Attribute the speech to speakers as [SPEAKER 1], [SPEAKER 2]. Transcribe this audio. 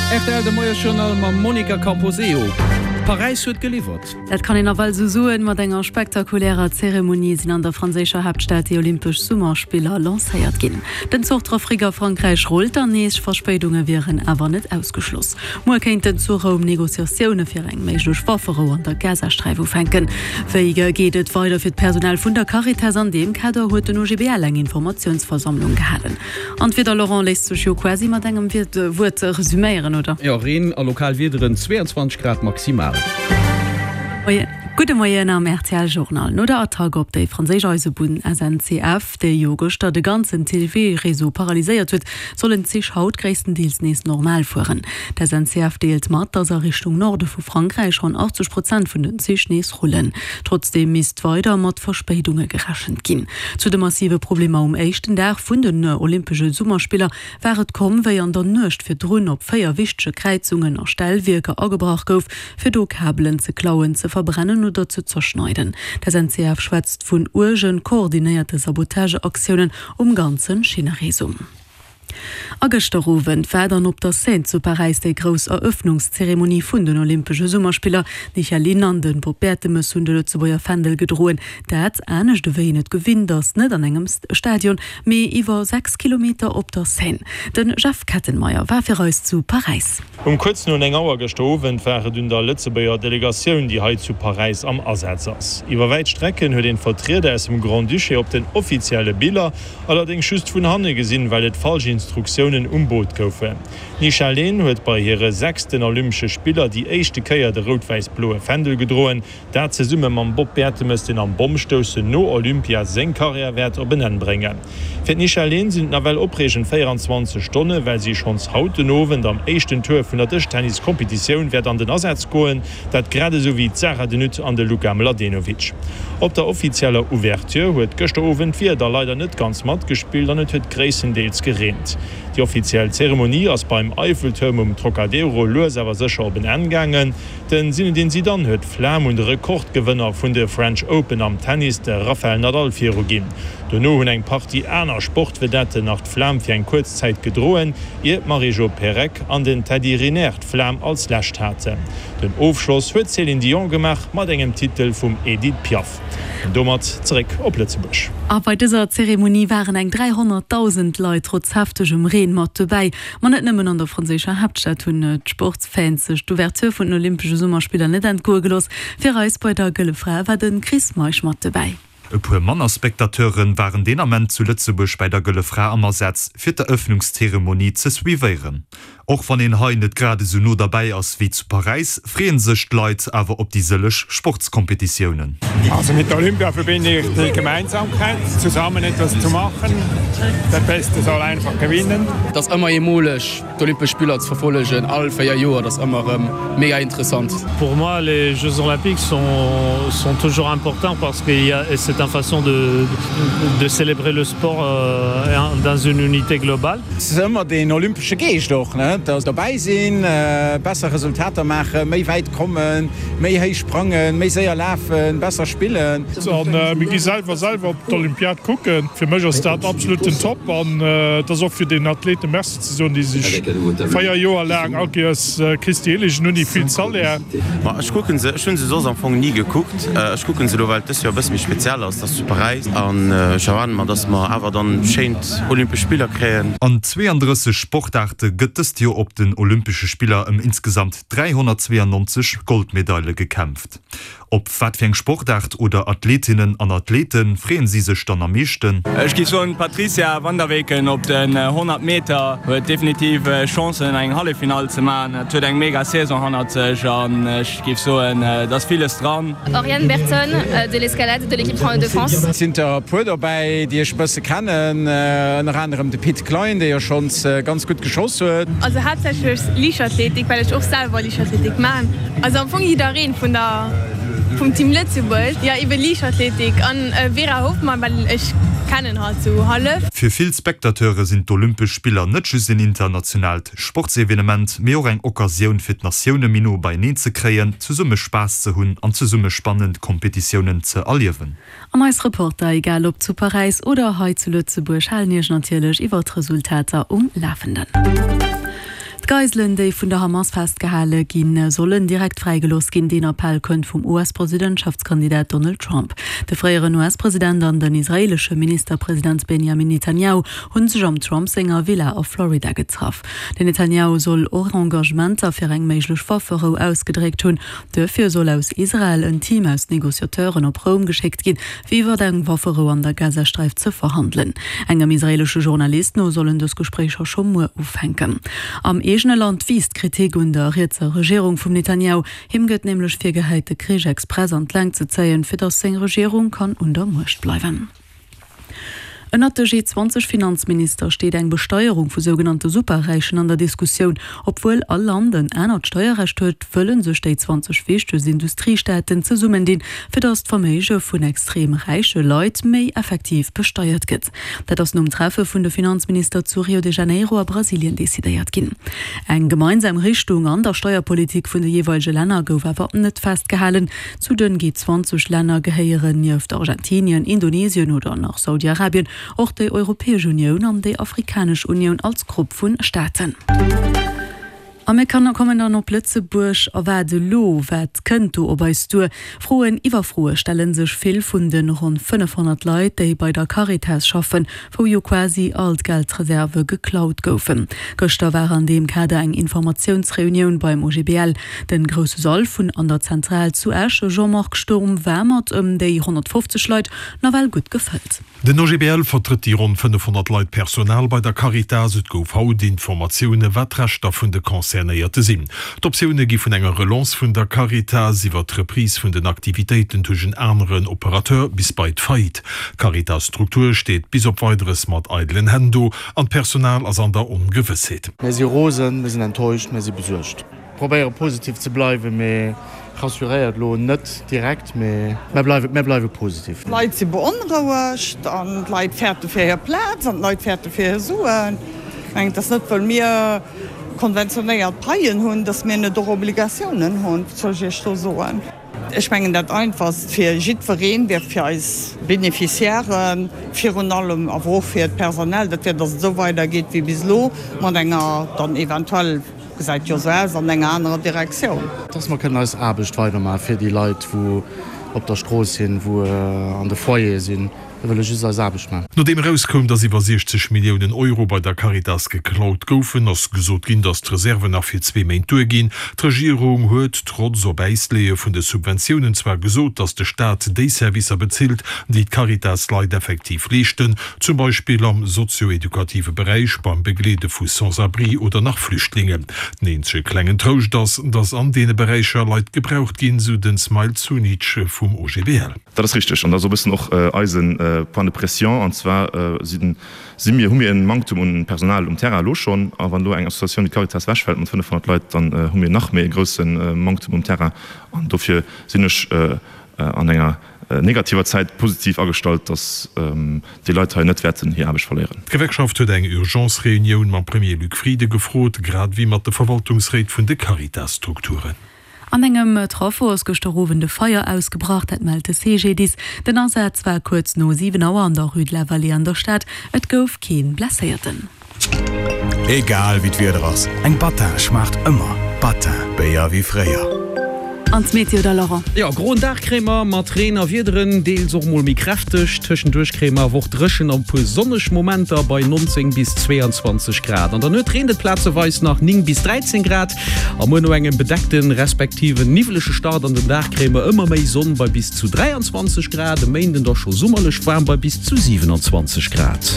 [SPEAKER 1] Rtl de Moiesjournal mam Monica Camposeo. Paräis huet geliwwert.
[SPEAKER 2] Dat kann een nawell esou soen. Mat enger spektakulärer Zeremonie sinn an der franséischer Haaptstad déi Olympesch Summerspiller lancéiert ginn. Den Zuchtrafic a Frankräich rullt dann nees, Verspéidunge wieren awer net ausgeschloss. Muer kéinten zu Roum Negociatioune fir eng méiglech Wafferou an der Gazasträif ufänken. Wéi geet et weider fir d'Personal vun der Caritas? An deem Kader huet den OGBL eng Informatiounsversammlung gehalen. An d'Wieder, Laurent, léisst sech jo quasi mat engem Wuert resüméieren, oder?
[SPEAKER 1] Jo, Reen a lokal Wiederen, 22 Grad maximal.
[SPEAKER 2] Gudde Moien am rtl Journal. No der Attack op déi franséisch Eisebunn SNCF, déi jo gëschter de ganzen TGV-Réseau paralyséiert huet, sollen d'Zich haut gréisstendeels nees normal fueren. D'SNCF deelt mat, datt a Richtung Norde vu Frankräich ronn 80 Prozent vun den Zich nees rullen. Trotzdeem misst weider mat Verspéidunge gerechent ginn. Zu de massive Problemer um éischten Dag vun den Olympesche Summerspiller war et komm, wéi an der Nuecht virdrun op 4 wichtege Kräizungen a Stellwierker agebrach gouf, fir do Kabelen ze klauen, ze verbrennen oder ze zerschneiden. D'SNCF schwätzt vun uergen, koordinéierte Sabotageaktiounen um ganze Schinnereseau. A gëschter Owend war dann op der Seine zu Paräis déi grouss Erëffnungszeremonie vun den Olympesche Summerspiller. D'Michèle Lynn an de Bob Bertemes hunn de Lëtzebuerger Fändel gedroen. Dat, anescht ewéi een et gewinnt ass, net an engem Stadion, mee iwwer 6 Kilometer op der Seine. De Jeff Kettenmeyer war fir eis zu Paräis.
[SPEAKER 3] Um kuerz no 9 Auer gëschter Owend war et un der Lëtzebuerger Delegatioun, déi hei zu Paräis am Asaz ass. Iwwer wäit Strecken huet een d'Vertrieder aus dem Grand-Duché op den offizielle Biller allerdéngs just vun hanne gesinn, well et falsch Instruktiounen um Boot goufen. D'Nisha Leen huet bei hire sechsten Olympesche Spiller déi éischte Kéier de rout-wäiss-bloe Fändel gedroen. Dat zesumme mam Bob Bertemes, deen am Bommstoussen no Olympia seng Karriär wäert op en Enn bréngen. Fir d'Nisha Leen sinn et nawell opreegend 24 Stonne, well si schonns haut den Owend am éischten Tour vun der Dëschtennis-Kompetitioun wäert an den Asaz goen, dat grad esou wéi d'Sarah de Nutte an de Luka Mladenovic. Op der offizieller Ouverture huet gëschter Owend d'Wieder leider net ganz matgespillt an et huet gréisstendeels gereent. Déi offiziell Zeremonie ass beim Eiffeltuerm um Trocadero lues awer sécher op en Enn gaangen. Den Zinedine Zidane huet d'Flam un de Rekordgewënner vun de French Open am Tennis, de Rafael Nadal, viruginn. Dono hunn eng Partie aner Sportvedetten nach d'Flam fir eng kuerz Zäit gedroen, ier d'Marie-Jo Pérec an den Teddy Riner d'Flam als lescht haten. Den Ofschloss huet d'Céline Dion gemaach mat engem Titel vum Edith Piaf. An domat zeréck op Lëtzebuerg.
[SPEAKER 2] A bei dëser Zeremonie waren eng 300.000 Leit trotz heftegem Reen mat dobäi. Ma net nëmmen an der franséischer Haaptstad hunn d'Sportsfans sech d'Ouverture vun den Olympesche Summerspiller net entgoe gelooss. Fir eis bei der Gëlle Fra war de Chris Meisch mat dobäi.
[SPEAKER 4] E puer manner Spectateure waren deen Ament zu Lëtzebuerg bäi der Gëlle Fra am Asaz, fir d'Erëffnungszeremonie ze suivéieren. Och wann een hei net grad esou no derbäi ass wéi zu Paräis, freeë sech d'Leit awer op déi sëlleg Sportskompetitiounen.
[SPEAKER 5] Also mit Olympia verbinde ich die Gemeinsamkeit, zusammen etwas zu machen, der Beste soll einfach gewinnen.
[SPEAKER 6] Et ass ëmmer eemoleg D'Olympesch Spiller ze verfollegen all 4 Joer, dat ass ëmmer erëm mega interessant.
[SPEAKER 7] Pour moi les Jeux Olympiques sont sont toujours importants parce que il y a c'est un façon de de célébrer le sport dans une unité globale.
[SPEAKER 8] Et ass ëmmer deen olympesche Geescht och, ne, dass dobäi sinn, besser Resultater maachen, méi wäit kommen, méi héich sprangen, méi séier lafen, besser spillen.
[SPEAKER 9] A mir gi selwer selwer op d'Olympiad kucken. Fir mech ass dat absolut den Top an et ass och fir den Athleten Merci ze soen, déi sech 4 Joer laang all Kéiers Christi Hillegen hunn, déi vill Salaire.
[SPEAKER 10] Ma ech kucken se, ech hunn se soss am Fong ni gekuckt. Ech kucken se elo, well et dës Joer e bësse méi speziell ass, et ass zu Paräis an ech erwaarde mer, dass mer awer dann schéint Olympesch Spiller kréien.
[SPEAKER 4] An 32 Sportaarte gëtt dëst Joer op den Olympesche Spiller ëm insgesamt 392 Goldmedaile gekämpft. Op wat fir eng Sportaart oder Athletinnen an Athlete freeën si sech dann am meeschten?
[SPEAKER 11] Ech géif soen d'Patricia van der Weken op den 100 Meter huet definitiv Chancen eng Halleffinall ze maachen. Et huet eng mega Saison hannert sech an ech géif soen et ass villes dran.
[SPEAKER 12] Oriane Bertone de l'escalade de l'équipe de France.
[SPEAKER 8] Et sinn der e puer dobäi, déi ech e bësse kennen, ënner anerem de Pit Klein, dee jo schonns ganz gutt geschoss huet.
[SPEAKER 13] Also haaptsächlech Liichtathletik, well ech och selwer Liichtathletik maan. Also am Fong jiddereen vun der vum Team Lëtzebuerg, jo eben Liichtathletik an Vera Hoffmann, well ech kennen hatt sou hallef.
[SPEAKER 4] Fir vill Spectateure sinn d'Olympesch Spiller net just een internationaalt Sportsevenement, mee och eng Occasioun fir d'Natioune méi no beieneen ze kréien, zesumme Spaass ze hunn an zesumme spannend Kompetitiounen ze erliewen.
[SPEAKER 2] An eis Reporter, egal ob zu Paräis oder hei zu Lëtzebuerg, halen Iech natierlech iwwer d'Resultater um Lafenden. D'Geiselen, déi vun der Hamas festgehale ginn, sollen direkt fräigelooss ginn. Deen Appell kënnt vum US-Presidentschaftskandidat Donald Trump. De fréieren US-President an den israeelesche Ministerpresident Benjamin Netanjahu hu sech am Trump senger Villa a Florida getraff. Den Netanjahu soll och Engagementer fir eng méiglech Wafferou ausgedréckt hunn. Duerfir soll aus Israel en Team aus Negociateuren op Roum geschéckt ginn, fir iwwert eng Wafferou an der Gazasträif ze verhandelen. Engem israeelesche Journalist no sollen dës Gespréicher scho muer ufänken. Am eegene Land wiisst d'Kritik un der rietser Regierung vum Netanjahu. Him gëtt nämlech virgehäit, de Krich express an d'Längt ze zéien, fir datt seng Regierung kann un der Muecht bleiwen. Ënnert de G20-Finanzminister steet eng Besteierung vu sougenannte Superräichen an der Diskussioun. Obwuel all Land en anert Steierrecht huet, wëlle sech déi 20 wichtegst Industriestaaten zesummendinn, fir datt d'Verméige vun extrem räiche Leit méi effektiv besteiert gëtt. Dat ass nom Treffe vun de Finanzminister zu Rio de Janeiro a Brasilien decidéiert ginn. Eng gemeinsam Richtung an der Steierpolitik vun de jeeweilege Länner gouf awer net festgehalen. Zu den G20 Länner gehéieren nieft Argentinien, Indonesien oder nach Saudi-Arabien och déi Europäesch Unioun an déi Afrikanesch Unioun als Grupp vun Staaten. A mir kommen dann op Lëtzebuerg. A wat elo? Wat kënnt do op eis duer? Froen iwwer Froe stelle sech vill vun de ronn 500 Leit, déi bei der Caritas schaffen, wou jo quasi all d'Geldreserve geklaut goufen. Gëschter war an deem Kader eng Informatiounsreunioun beim OGBL. Den grousse Sall vun an der Zentral zu Esch, Jean-Marc Sturm, war mat ëm déi 150 Leit nawell gutt gefëllt.
[SPEAKER 14] Den OGBL vertrëtt déi ronn 500 Leit Personal bei der Caritas. Et gouf haut Informatioune wat d'Rechter vun de Concernéierte sinn. D'Optioune gi vun enger Relance vun der Caritas iwwer d'Reprise vun den Aktivitéiten duerch en aneren Operateur bis bei d'Faillite. D'Caritas-Struktur steet bis op Weideres mat eidelen Hänn do an d'Personal ass an der Ongewëssheet.
[SPEAKER 15] Mir si rosen, mir sinn enttäuscht, mir si besuergt. Probéiere positiv ze bleiwen, mee rassuréiert elo net direkt, mee mär bleiwe, mär bleiwe positiv.
[SPEAKER 16] D'Leit si beonrouegt an d'Leit fäerte fir hir Plaz an d'Leit fäerte fir hir Suen. Ech mengen, et ass net, wëll mir konventionéiert Paien hunn, datt mir net och Obligatiounen hunn. Wat soll ech Iech do soen? Ech mengen, dat Einfachst fir jiddwereen wär, fir eis Beneficiairen virun allem, awer och fir d'Personal, dat wär, datt et esou weidergeet wéi bis elo, mat enger dann eventuell, gesäit jo esou aus, an enger anerer Direktioun.
[SPEAKER 15] Dass mer kënnen eis Aarbecht weidermaache fir déi Leit, wou op der Strooss sinn, wou an de Foyere sinn. Mir wëlle just eis Aarbecht maachen.
[SPEAKER 14] Nodeem erauskoum, datt iwwer 60 Milliounen Euro bei der Caritas geklaut goufen, ass gesot ginn, datt d'Reserven nach fir zwee Méint duerginn. D'Regierung huet, trotz op Äis leeë vun de Subventiounen, zwar gesot, datt de Staat déi Servicer bezilt, déi d'Caritas-Leit effektiv leeschten, zum Beispill am sozio-edukative Beräich, beim Begleede vu Sans-abri oder nach Flüchtlingen. Den eenzege klengen Trouscht ass, datt an deene Beräicher Leit gebraucht ginn, sou den Smail Zunic vum OGBL.
[SPEAKER 17] Dat ass richteg an dat ass och e bëssen och eise Point de pression. An zwar si mir, hu mir e Manktum un Personal um Terrain elo schonn. A wann elo eng Associatioun wéi d'Caritas ewechfält mat 500 Leit, dann hu mir nach méi e grousse Manktum um Terrain. An dofir sinn ech an enger negativer Zäit positiv agestallt, datt déi Leit hei net wäerten hir Aarbecht verléieren.
[SPEAKER 14] D'Gewerkschaft huet eng Urgence-Reunioun mam Premier Luc Frieden gefrot, grad ewéi mat de Verwaltungsréit vun de Caritas-Strukturen.
[SPEAKER 2] An engem Traffo ass gëschter Owend e Feier ausgebrach, dat mellt de CGDIS. Den Asaz war kuerz no 7 Auer an der Rue de la Vallée an der Stad. Et gouf kee Blesséierten.
[SPEAKER 18] Egal wéi d'Wieder ass, eng Battin schmaacht ëmmer. Battin, Béier wéi fréier.
[SPEAKER 2] An d'Meteo da Laurent?
[SPEAKER 1] Jo, groen Dag kréie mer mat Reen a Wiederen, deels och mol méi kräfteg. Tëschenduerch kréie mer awer och dréchen an e puer sonneg Momenter bei 19 bis 22 Grad. An der Nuet reent et plazeweis nach, 9 bis 13 Grad. A muer no engem bedeckten respektive niwwelege Start an den Dag kréie mer ëmmer méi Sonn bei bis zu 23 Grad, e Méinden da scho summerlech waarm bei bis zu 27 Grad.